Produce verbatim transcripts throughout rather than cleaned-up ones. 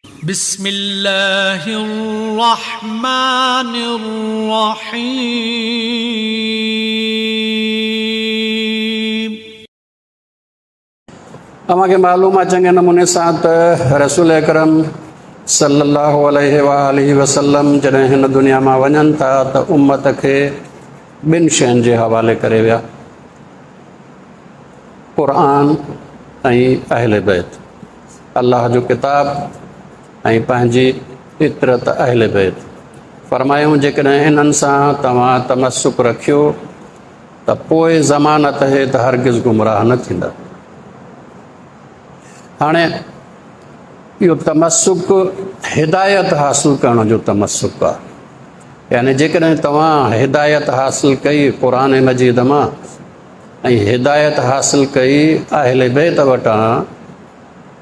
بسم الله الرحمن الرحيم. अव्हांखे मालूम आहे चङे नमूने सां त रसूल अकरम सल्लल्लाहु अलैहि वआलिहि वसल्लम जॾहिं हिन दुनिया मां वञनि था त उम्मत खे ॿिनि शयुनि जे हवाले करे विया, क़ुरान ऐं अहले बैत। अलाह जो किताब ऐं पंहिंजी इतरत अहले बैत। फरमायूं जेकॾहिं इन्हनि सां तव्हां तमसुक रखियो त पोइ ज़मानत आहे त हरगिज़ गुमराह न थींदा। हाणे इहो तमसुक हिदायत हासिल करण जो तमसुक आहे, यानी जेकॾहिं तव्हां हिदायत हासिल कई क़ुरान मजीद मां ऐं हिदायत हासिल कई अहले बैत वटां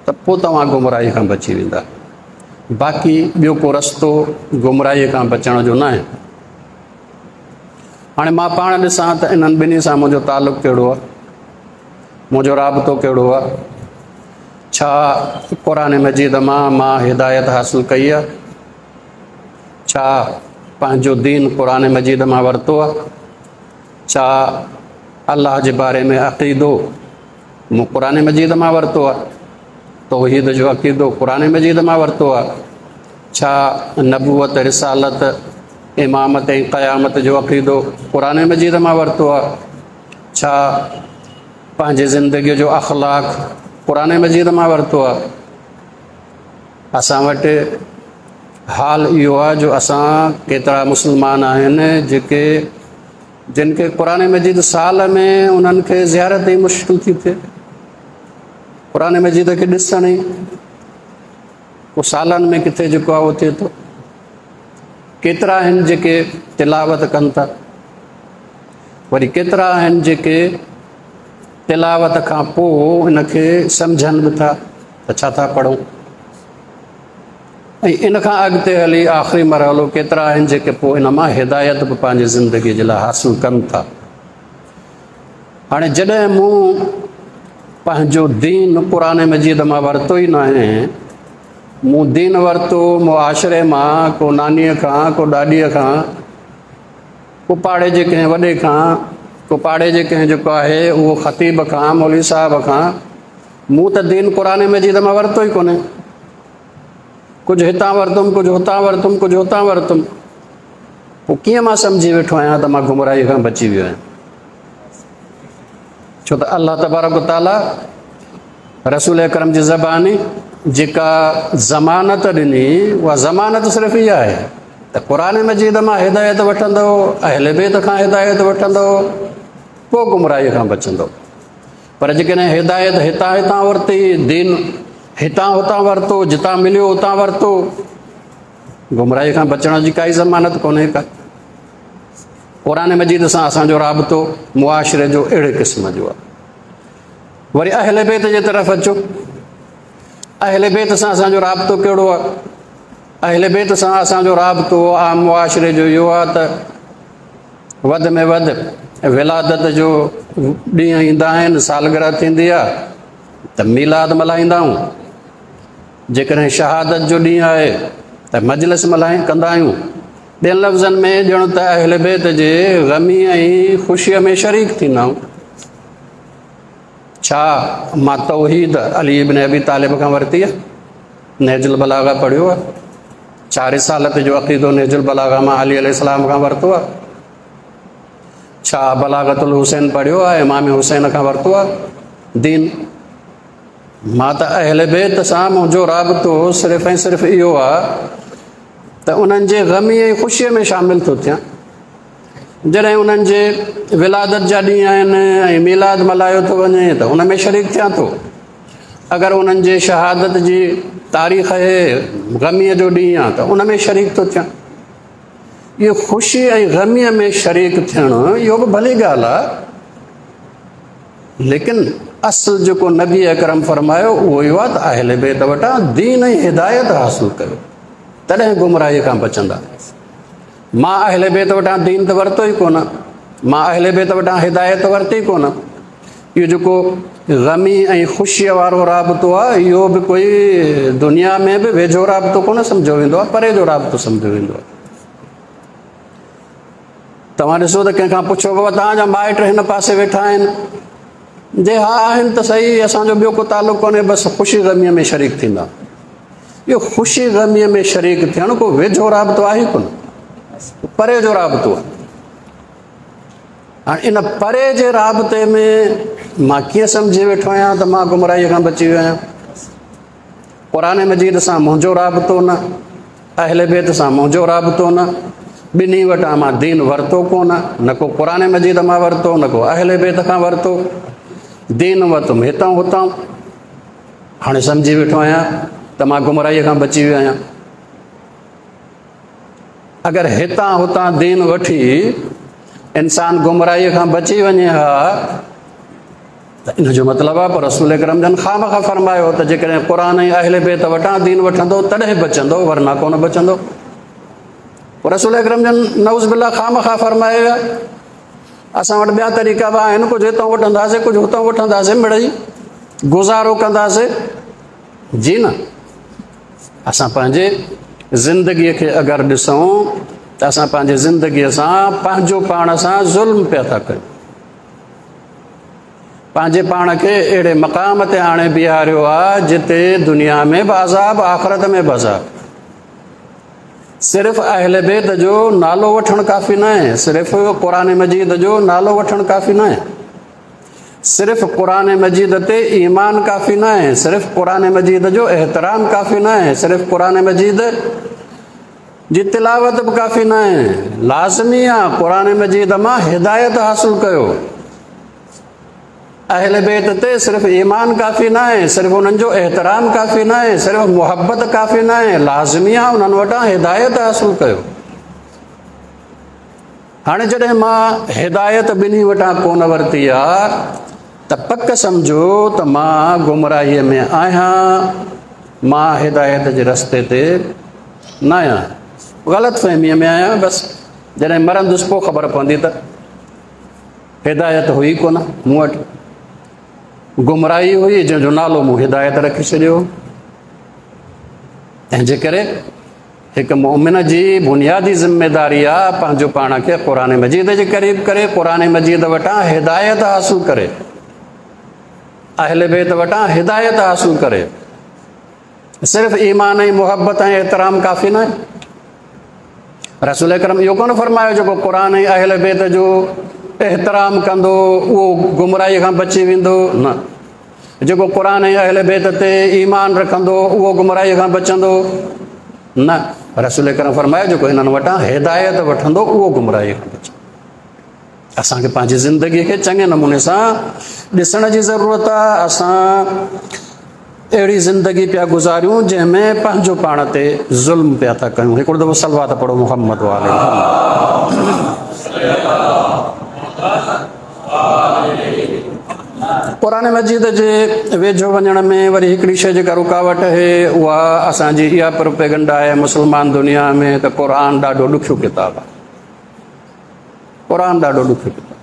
त पोइ तव्हां गुमराही खां बची वेंदा। बाक़ी ॿियो को रस्तो गुमराहीअ खां बचण जो न आहे। हाणे मां पाण ॾिसां त इन्हनि ॿिन्ही सां मुंहिंजो तालुक़ कहिड़ो आहे, मुंहिंजो राबितो कहिड़ो आहे। छा क़ुरान मजीद मां मां हिदायत हासिल कई आहे? छा पंहिंजो दीन क़ुरान मजीद मां वरितो आहे? छा अलाह जे बारे में अक़ीदो मूं क़ुरान मजीद मां वरितो आहे? तौहीद जो अक़ीदो क़ुरान मजीद मां वरितो आहे? छा नबूवत, रिसालत, इमामत ऐं क़यामत जो अक़ीदो क़ुरान मजीद मां वरितो आहे? छा पंहिंजी ज़िंदगीअ जो अख़लाक़ क़ुरान मजीद मां वरितो आहे? असां वटि हाल इहो आहे जो असां केतिरा मुस्लमान आहिनि जेके जिन खे क़ुरान मजीद साल में उन्हनि खे ज़ियारत ई मुश्किल थी थिए, क़ुरान मजीद खे ॾिसण ई पोइ सालनि में किथे जेको आहे उहो थिए थो। केतिरा आहिनि जेके तिलावत कनि था, वरी केतिरा आहिनि जेके तिलावत खां पोइ इनखे सम्झनि बि था त छा था पढ़ूं। ऐं इन खां अॻिते हली आख़िरी मरहलो केतिरा आहिनि जेके पोइ इन मां हिदायत बि पंहिंजी ज़िंदगीअ जे लाइ हासिल कनि था। हाणे जॾहिं मूं पंहिंजो दीन क़ुरान मजीद मां वरितो ई न आहे, मूं दीन वरितो मुआशरे मां, को नानीअ खां, को ॾाॾीअ खां, को पाड़े जे कंहिं वॾे खां, को पाड़े जे कंहिं जेको आहे उहो ख़तीब खां, मौलवी साहिब खां, मूं त दीन क़ुरान मजीद मां वरितो ई कोन्हे। कुझु हितां वरितुमि, कुझु हुतां वरितुमि, कुझु हुतां वरितुमि, पोइ कीअं मां सम्झी वेठो आहियां त मां गुमराहीअ खां बची वियो आहियां? छो त अलाह तबारक ताला रसूल अकरम जी ज़बानी जेका ज़मानत ॾिनी उहा ज़मानत सिर्फ़ु इहा आहे त क़ुरान मजीद मां हिदायत वठंदो, अहले बैत खां हिदायत वठंदो, पोइ गुमराहीअ खां बचंदो। पर जेकॾहिं हिदायत हितां हितां वरिती, दीन हितां हुतां वरितो, जितां मिलियो उतां वरितो, गुमराहीअ खां बचण जी काई ज़मानत कोन्हे का। क़ुरान मजीद सां असांजो राबितो मुआशरे जो अहिड़े क़िस्म जो आहे। वरी अहले बैत जे तरफ़ अचो, अहले बैत सां असांजो राबितो कहिड़ो आहे? अहले बैत सां असांजो राबितो आम मुआशरे जो इहो आहे त वधि में वधि विलादत जो ॾींहं ईंदा आहिनि, सालगिरह थींदी आहे त मीलाद मल्हाईंदा आहियूं। जेकॾहिं शहादत जो ॾींहुं आहे त मजलिस मल्हाई कंदा आहियूं। ॿियनि लफ़्ज़नि में ॼण त अहले बैत जे ग़मी ऐं ख़ुशीअ में शरीक थींदा आहियूं। छा मां तौहीद अली इब्न अबी तालिब खां वरिती आहे? नहजुल बलागा पढ़ियो आहे? छा रिसालत जो अक़ीदो नहजुल बलागा मां अली अलैहिस्सलाम खां वरितो आहे? छा बलागतुल हुसैन पढ़ियो आहे, इमाम हुसैन खां वरितो आहे दीन? मां त अहले बैत सां मुंहिंजो राबितो सिर्फ़ु ऐं सिर्फ़ु इहो आहे त उन्हनि जे ग़मी ऐं ख़ुशीअ में शामिल थो थियां। जॾहिं उन्हनि जे विलादत जा ॾींहं आहिनि ऐं मीलाद मल्हायो थो वञे त उन में शरीक थियां थो। अगरि उन्हनि जे शहादत जी तारीख़ आहे, ग़मीअ जो ॾींहुं आहे त उन में शरीक थो थियां। इहो ख़ुशी ऐं ग़मीअ में शरीक थियणु इहो बि भली ॻाल्हि आहे, लेकिन असल जेको नबी अकरम फरमायो उहो इहो आहे त अहले बैत वटां दीन ऐं हिदायत हासिल कयो, तॾहिं गुमराहीअ खां बचंदा। मां अहले बैत वटां दीन त वरितो ई कोन, मां अहले बैत वटां हिदायत वरिती कोन, इहो जेको ग़मी ऐं ख़ुशीअ वारो राबितो आहे, इहो बि कोई दुनिया में बि वेझो राबितो कोन सम्झो वेंदो आहे, परे जो राबितो सम्झो वेंदो आहे। तव्हां ॾिसो त कंहिंखां पुछो, बाबा तव्हांजा माइट हिन पासे वेठा आहिनि? जे हा आहिनि त सही, असांजो ॿियो को तालुक़ु कोन्हे, बसि ख़ुशी ग़मीअ में शरीक थींदा। इहो ख़ुशी ग़मीअ में शरीक थियणु को वेझो राबितो आहे कोन, परे जो राबितो आहे। हाणे इन परे जे राबिते में मां कीअं सम्झी वेठो आहियां त मां गुमराहीअ खां बची वियो आहियां? क़ुर मजीद सां मुंहिंजो राबितो न, अहले बैत सां मुंहिंजो राबितो न, ॿिन्ही वटां मां दीन वरितो कोन, न को क़ुर मजीद मां वरितो, न को अहले बैत खां वरितो, दीन वरितुमि हितां हुतां। हाणे सम्झी वेठो आहियां त मां गुमराहीअ खां बची वियो आहियां। अगरि हितां हुतां दीन वठी इंसान गुमराहीअ खां बची वञे हा त इन जो मतिलबु आहे, पर रसूल करम जन ख़ामख़ा फरमायो त जेकॾहिं क़ुर ऐं अहले बैत वटां दीन वठंदो तॾहिं बचंदो, वरना कोन बचंदो। रसूल अकरम जन नऊज़ बिल्ला ख़ामख़ा फरमाए विया। असां वटि ॿिया तरीक़ा बि आहिनि, कुझु हितां वठंदासीं, कुझु हुतां वठंदासीं, मिड़ई गुज़ारो कंदासीं। जी न, असां पंहिंजे ज़िंदगीअ खे अगरि ॾिसूं त असां पंहिंजी ज़िंदगीअ सां पंहिंजो पाण सां ज़ुल्म पिया था कयूं। पंहिंजे पाण खे अहिड़े मक़ाम ते आणे बीहारियो आहे जिते दुनिया में बि अज़ाब, आख़िरत में बि अज़ाब। सिर्फ़ अहले बैत जो नालो वठणु काफ़ी न आहे, सिर्फ़ क़ुर मजीद जो नालो वठणु काफ़ी न आहे, सिर्फ़ क़ुर मजीद ते ईमान काफ़ी न आहे, सिर्फ़ क़ुर मजीद जो एहतराम काफ़ी न आहे, सिर्फ़ क़ुर मजीद जी तिलावत बि काफ़ी न आहे। लाज़मी आहे क़ुर मजीद मां हिदायत हासिल कयो। अहले बैत ते सिर्फ़ ईमान काफ़ी न आहे, सिर्फ़ उन्हनि जो एहतराम काफ़ी न आहे, सिर्फ़ मुहबत काफ़ी न आहे, लाज़मी आहे उन्हनि वटां हिदायत हासिल कयो। हाणे जॾहिं मां हिदायत ॿिन्ही वटां कोन वरिती आहे त पक सम्झो त मां गुमराहीअ में आहियां, मां हिदायत जे रस्ते ते न आहियां, ग़लति फ़हमीअ में आहियां। बसि जॾहिं मरंदुसि पोइ ख़बर पवंदी त हिदायत हुई कोन मूं वटि, गुमराही हुई जंहिंजो नालो मूं हिदायत रखी छॾियो। तंहिंजे करे हिकु मोमिन जी बुनियादी ज़िम्मेदारी आहे पंहिंजो पाण खे क़ुर मजीद जे क़रीब करे, क़ुर मजीद वटां हिदायत हासिल करे, अहले बैत वटां हिदायत हासिल करे। सिर्फ़ ईमान ऐं मुहबत ऐं एहतराम काफ़ी न आहे। रसूल अकरम इहो कोन फरमायो जेको क़ुर ऐं अहले बैत जो एहतराम कंदो उहो गुमराही खां बची वेंदो, न। जेको क़ुर ऐं अहले बैत ते ईमान रखंदो उहो गुमराही खां बचंदो, न। रसूल अकरम फरमायो जेको हिननि वटां हिदायत वठंदो उहो गुमराही खां बचंदो। असांखे पंहिंजी ज़िंदगीअ खे चङे नमूने सां ॾिसण जी ज़रूरत आहे। असां अहिड़ी ज़िंदगी पिया गुज़ारियूं जंहिंमें पंहिंजो पाण ते ज़ुल्म पिया था कयूं। हिकिड़ो दफ़ो सलवात पढ़ो मोहम्मद वाले। क़ुर मजीद जे वेझो वञण में वरी हिकिड़ी शइ जेका रुकावट आहे उहा असांजी इहा प्रोपेगंडा आहे मुस्लमान दुनिया में त क़ुर ॾाढो ॾुखियो किताबु आहे, क़ुर ॾाढो ॾुखियो किताबु।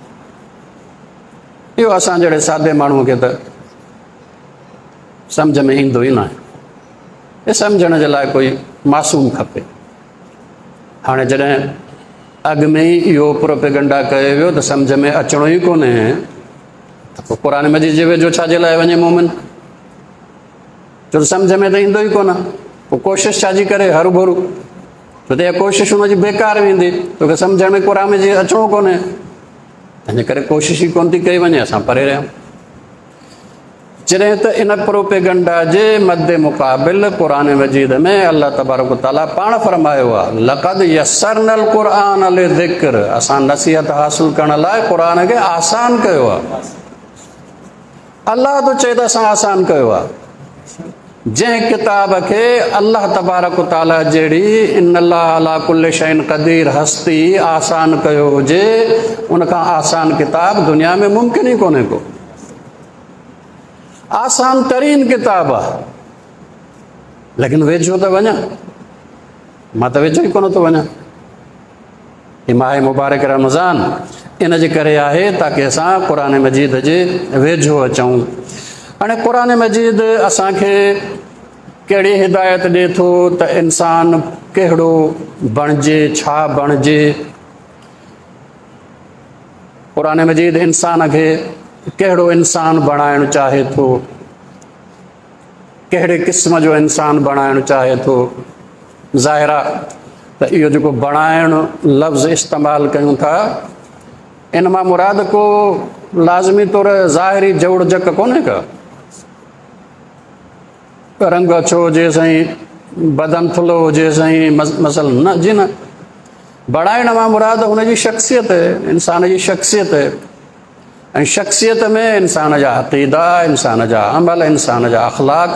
इहो असां जहिड़े सादे माण्हूअ खे त सम्झ में ईंदो ई न आहे, इहो सम्झण जे लाइ कोई मासूम खपे। हाणे जॾहिं अॻु में ई इहो प्रोपेगंडा कयो वियो त सम्झ में अचिणो ई कोन्हे त पोइ क़ुर मजीद जे वेझो छा जे लाइ वञे मोमिन? छो त सम्झ में त ईंदो ई कोन, पोइ कोशिशि छाजी करे हरू भरू? छो त इहा कोशिशि हुनजी बेकार वेंदी, तोखे सम्झ में क़ुर मजीद अचिणो कोन्हे, तंहिंजे करे कोशिशि ई कोन थी कई वञे, असां परे रहियूं। जॾहिं त इन प्रोपेगंडा जे मद मुक़ाबिल क़ुर मजीद में अलाह तबारक ताला पाण फरमायो आहे लक़द यस्सरनल क़ुरान लिज़िक्र, असां नसीहत हासिल करण लाइ क़ुर खे आसान कयो आहे। अलाह थो चए त असां आसान कयो आहे। जंहिं किताब खे अलाह तबारक ताला जहिड़ी इन अल्लाह अला कुल्ल शैइन क़दीर हस्ती आसान कयो हुजे, उनखां आसान किताब दुनिया में मुमकिन ई कोन्हे को। आसान तरीन किताब आहे, लेकिन वेझो त वञा, मां त वेझो ई कोन थो वञा। ही माह मुबारक रमज़ान, इन जे करे आहे ताकी असां क़ुरान मजीद जे वेझो अचूं। हाणे क़ुरान मजीद असांखे कहिड़ी हिदायत ॾिए थो त इंसान कहिड़ो बणिजे, छा बणिजे। क़ुरान मजीद इंसान खे कहिड़ो इंसान बणाइणु चाहे थो, कहिड़े क़िस्म जो इंसान बणाइणु चाहे थो। ज़ाहिर आहे त इहो जेको बणाइणु लफ़्ज़ इस्तेमालु कयूं था इन मां मुराद को लाज़मी तौर ज़ाहिरी जोड़जक कोन्हे का, रंग अछो हुजे साईं, बदन थुल्हो हुजे साईं, मसल न जी न। बणाइण मां मुराद हुनजी शख्सियत आहे, इंसान जी शख्सियत आहे ऐं शख्सियत में इंसान जा अक़ीदा, इंसान जा अमल, इंसान जा अख़लाक,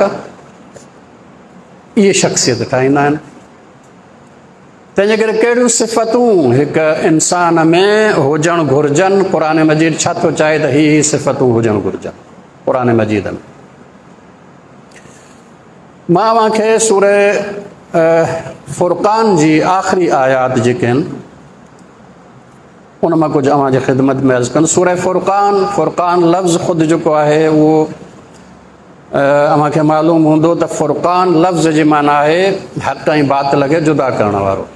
इहे शख्सियत ठाहींदा आहिनि। तंहिंजे करे कहिड़ियूं सिफ़तूं हिकु इंसान में हुजणु घुर्जनि, क़ुरान मजीद छा थो चाहे त ही सिफ़तूं हुजणु घुर्जनि क़ुरान मजीद में। मां तव्हांखे सूरह फुरक़ान जी आख़िरी आयात जेके आहिनि उन मां कुझु अव्हांजी ख़िदमत में अर्ज़ु कंदुसि। सूरह फुरक़ान, फुरक़ान लफ़्ज़ ख़ुदि जेको आहे उहो अव्हांखे मालूम हूंदो त फुरक़ान लफ़्ज़ जी माना आहे हक़ ऐं बातिल खे जुदा करण वारो।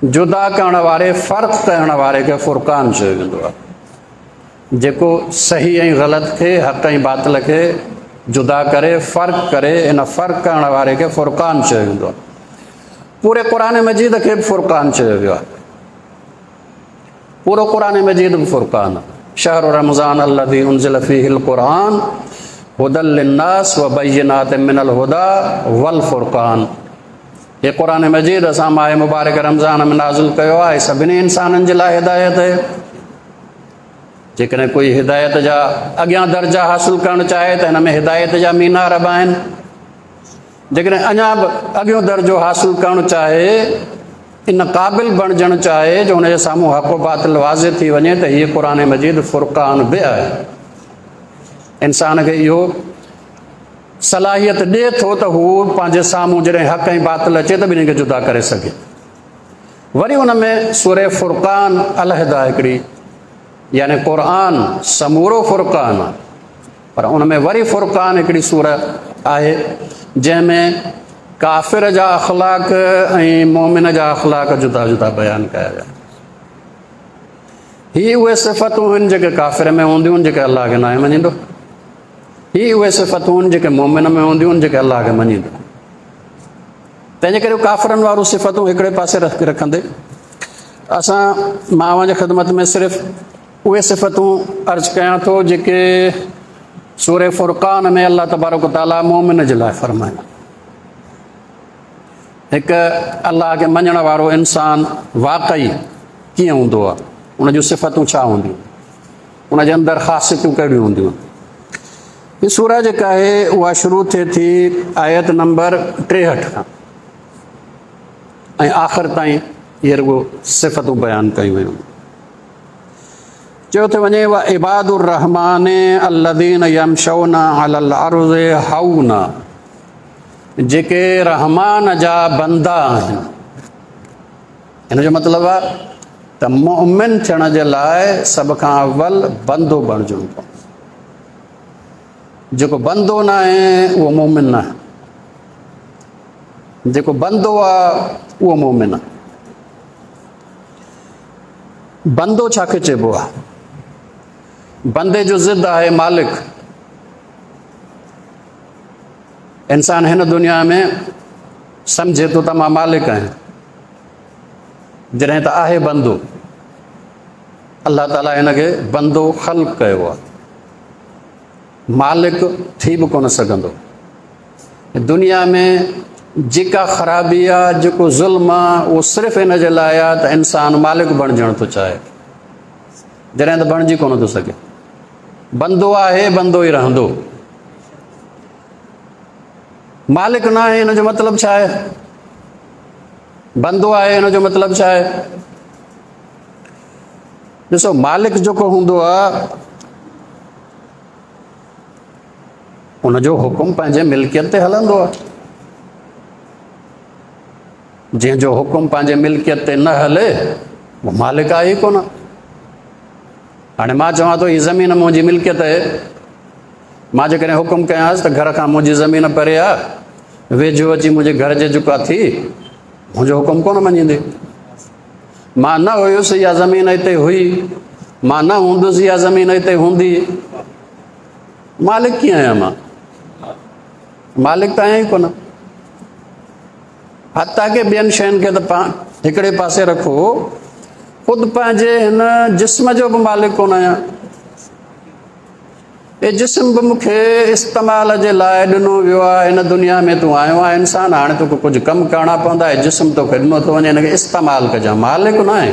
जुदा करण वारे, फ़र्क़ु करण वारे खे फुरक़ान चयो वेंदो आहे। जेको सही ऐं ग़लति खे, हक़ ऐं बातिल खे जुदा करे, फ़र्क़ु करे, इन फ़र्क़ु करण वारे खे फुरक़ान चयो वेंदो आहे। पूरे क़ुरान मजीद खे बि फुरक़ान चयो वियो आहे, पूरो क़ुरान मजीद बि फुरक़ान आहे। शहर रमज़ान अल्लज़ी उनज़िल फ़ीहिल क़ुरान हुदल लिन्नास व बय्यिनात मिनल हुदा वल फुरक़ान। हे क़ुरान मजीद असां माह मुबारक रमज़ान में नाज़िल कयो आहे, सभिनी इंसाननि जे लाइ हिदायत आहे। जेकॾहिं कोई हिदायत जा अॻियां दर्जा हासिल करणु चाहे त हिन में हिदायत जा मीनार बि आहिनि। जेकॾहिं अञा बि अॻियों दर्जो हासिल करणु चाहे, इन क़ाबिल बणिजणु चाहे जो हुनजे साम्हूं हक़ बातिल वाज़े थी वञे त हीअ क़ुरान मजीद फुरक़ान बि आहे। इंसान खे इहो सलाहियत ॾिए थो त हू पंहिंजे साम्हूं जॾहिं हक़ ऐं बातिल अचे त ॿिन्ही खे जुदा करे सघे। वरी हुन में सूरह फुरक़ान अलहिदा हिकिड़ी, यानी क़ुरान समूरो फुरक़ान आहे, पर उन में वरी फुरक़ान हिकिड़ी सूरत आहे जंहिंमें काफ़िर जा अख़लाक ऐं मोमिन जा अख़लाक जुदा जुदा बयानु कया विया। ही उहे सिफ़तूं आहिनि जेके काफ़िर में हूंदियूं आहिनि जेके अलाह खे नाहे मञींदो, ही उहे सिफ़तूं आहिनि जेके मोमिन में हूंदियूं आहिनि जेके अलाह खे मञींदो। तंहिंजे करे काफ़िरनि वारियूं सिफ़तूं हिकिड़े पासे रखंदे असां मां अव्हांजी ख़िदमत में सिर्फ़ उहे सिफ़तूं अर्ज़ु कयां थो जेके सूरह फुरक़ान में अलाह तबारक तआला मोमिन जे लाइ फरमाया। हिकु अलाह खे मञण वारो इंसान वाकई कीअं हूंदो आहे, उन जूं सिफ़तूं छा हूंदियूं, उनजे अंदरि ख़ासियतूं कहिड़ियूं हूंदियूं। हीअ सूरह जेका आहे उहा शुरू थिए थी आयत नंबर टेहठि खां ऐं आख़िर ताईं इहे रुॻो सिफ़तूं बयानु कयूं वयूं। चयो थो वञे व इबादुर रहमान अल्लज़ीन यमशौना अलल अर्ज़ि हौना, जेके रहमान जा बंदा आहिनि। हिन जो मतिलबु आहे त मुमिन थियण जे लाइ सभ खां अवल बंदो बणिजणो पवंदो। जेको बंदो न आहे उहो मुमिन न आहे, जेको बंदो आहे उहो मुमिन आहे। बंदो छाखे चइबो आहे? बंदे जो ज़िद आहे मालिक। इंसान हिन दुनिया में सम्झे थो त मां मालिक आहियां, जॾहिं त आहे बंदो। अलाह ताला हिनखे बंदो ख़ल्क कयो आहे, मालिक थी बि कोन सघंदो। दुनिया में जेका ख़राबी आहे, जेको ज़ुल्म आहे, उहो सिर्फ़ु हिन जे लाइ आहे त इंसान मालिक बणिजणु थो चाहे, जॾहिं त बणिजी कोन थो सघे। बंदो आहे, बंदो ई रहंदो, मालिक न आहे। हिन जो मतिलबु छा आहे? बंदो आहे, हिन जो मतिलबु छा आहे? ॾिसो, मालिक जेको हूंदो आहे उनजो हुकुम पंहिंजे मिल्कियत ते हलंदो आहे। जंहिंजो हुकुम पंहिंजे मिल्कियत ते न हले उहो मालिक आहे ई कोन। हाणे मां चवां थो हीअ ज़मीन मुंहिंजी मिल्कियत आहे, मां जेकॾहिं हुकुम कयांसि त घर खां मुंहिंजी ज़मीन परे आहे, वेझो अची मुंहिंजे घर जे जेको आहे थी, मुंहिंजो हुकुम कोन मञींदी। मां न हुयुसि इहा ज़मीन हिते हुई, मां न हूंदुसि इहा ज़मीन हिते हूंदी, मालिक कीअं आहियां मां? मालिक त आहियां ई कोन। हता के ॿियनि शयुनि खे त पाण हिकिड़े पासे रखो, ख़ुदि पंहिंजे हिन जिस्म जो बि मालिक कोन आहियां। हे जिस्म बि मूंखे इस्तेमाल जे लाइ ॾिनो वियो आहे। हिन दुनिया में तूं आयो आहे इंसान, हाणे तोखे कुझु कमु करणा पवंदा। हे जिस्म तोखे ॾिनो थो वञे, हिनखे इस्तेमालु कजांइ। मालिक न आहे,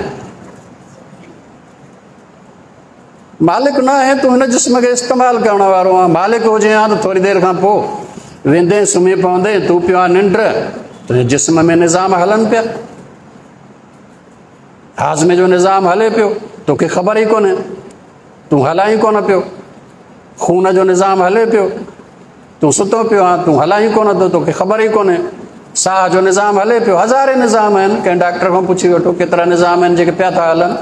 मालिक न आहे, तूं हिन जिस्म खे इस्तेमालु करण वारो आहे। मालिक हुजे हा त थोरी देरि खां पोइ वेंदे सुम्ही पवंदे, तूं पियो आहे निंड, तुंहिंजे जिस्म में निज़ाम हलनि पिया, हाज़मे जो निज़ाम हले पियो, तोखे ख़बर ई कोन्हे, तूं हलाईं कोन पियो। खून जो निज़ाम हले पियो, तूं सुतो पियो आहे, तूं हलाईं कोन थो, तोखे ख़बर ई कोन्हे। साह जो निज़ाम हले पियो, हज़ारे निज़ाम आहिनि, कंहिं डॉक्टर खां पुछी वठो केतिरा निज़ाम आहिनि जेके पिया था हलनि।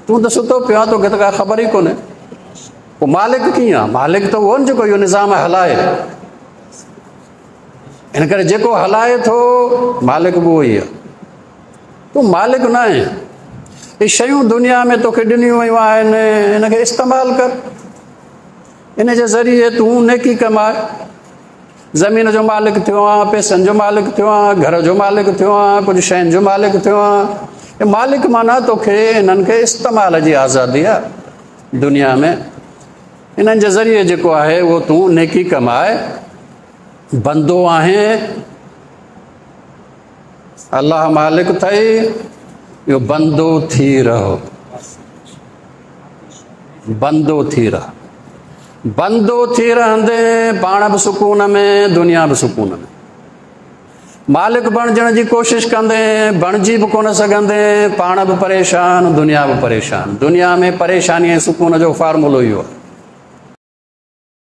तूं त सुतो पियो आहे, तोखे त का ख़बर ई कोन्हे। पोइ मालिक कीअं आहे? मालिक त उहो न जेको इहो निज़ाम हलाए। इन करे जेको हलाए थो मालिक बि उहो ई आहे, तूं मालिक न आहीं। इहे शयूं दुनिया में तोखे ॾिनियूं वयूं आहिनि, हिनखे इस्तेमालु कर, इन जे ज़रिए तूं नेकी कमाए। ज़मीन जो मालिक थियो आहे, पैसनि जो मालिक थियो आहे, घर जो मालिक थियो आहे, कुझु शयुनि जो मालिक थियो आहे। मालिक माना तोखे इन्हनि खे इस्तेमाल जी आज़ादी आहे दुनिया में, इन्हनि जे ज़रिए जेको आहे उहो तूं नेकी कमाए। बंदो आहीं, अलाह मालिक अथई, इहो बंदो थी रहो, बंदो थी रह, बंदो थी रहंदे पाण बि सुकून में, दुनिया बि सुकून में। मालिक बणिजण जी कोशिशि कंदे बणिजी बि कोन सघंदे, पाण बि परेशान, दुनिया बि परेशान। दुनिया में परेशानी ऐं सुकून जो फार्मूलो इहो आहे।